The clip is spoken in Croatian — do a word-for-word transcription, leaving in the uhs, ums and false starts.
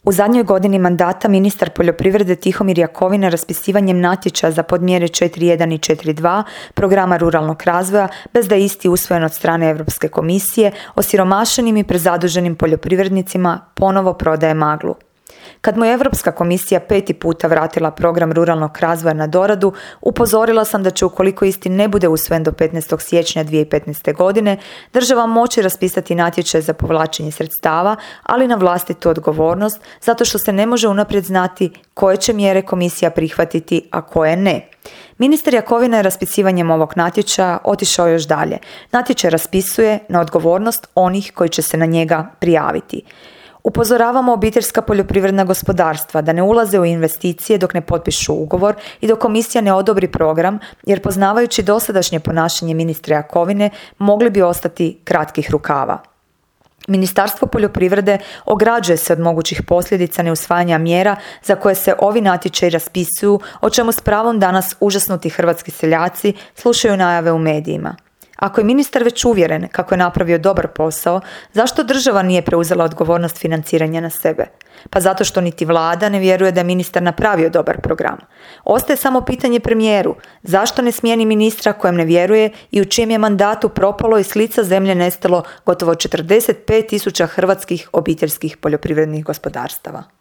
U zadnjoj godini mandata ministar poljoprivrede Tihomir Jakovina raspisivanjem natječaja za podmjere četiri jedan i četiri dva programa ruralnog razvoja, bez da je isti usvojen od strane Europske komisije, osiromašenim i prezaduženim poljoprivrednicima ponovo prodaje maglu. Kad mu je Europska komisija peti puta vratila program ruralnog razvoja na doradu, upozorila sam da će, ukoliko isti ne bude usvojen do petnaestog siječnja dvije tisuće petnaeste. godine, država moći raspisati natječaj za povlačenje sredstava, ali na vlastitu odgovornost, zato što se ne može unaprijed znati koje će mjere komisija prihvatiti, a koje ne. Ministar Jakovina je raspisivanjem ovog natječaja otišao još dalje. Natječaj raspisuje na odgovornost onih koji će se na njega prijaviti. Upozoravamo obiteljska poljoprivredna gospodarstva da ne ulaze u investicije dok ne potpišu ugovor i dok komisija ne odobri program, jer poznavajući dosadašnje ponašanje ministra Jakovine mogli bi ostati kratkih rukava. Ministarstvo poljoprivrede ograđuje se od mogućih posljedica neusvajanja mjera za koje se ovi natječaji raspisuju, o čemu s pravom danas užasnuti hrvatski seljaci slušaju najave u medijima. Ako je ministar već uvjeren kako je napravio dobar posao, zašto država nije preuzela odgovornost financiranja na sebe? Pa zato što niti vlada ne vjeruje da je ministar napravio dobar program. Ostaje samo pitanje premijeru, zašto ne smijeni ministra kojem ne vjeruje i u čijem je mandatu propalo i s lica zemlje nestalo gotovo četrdeset pet tisuća hrvatskih obiteljskih poljoprivrednih gospodarstava.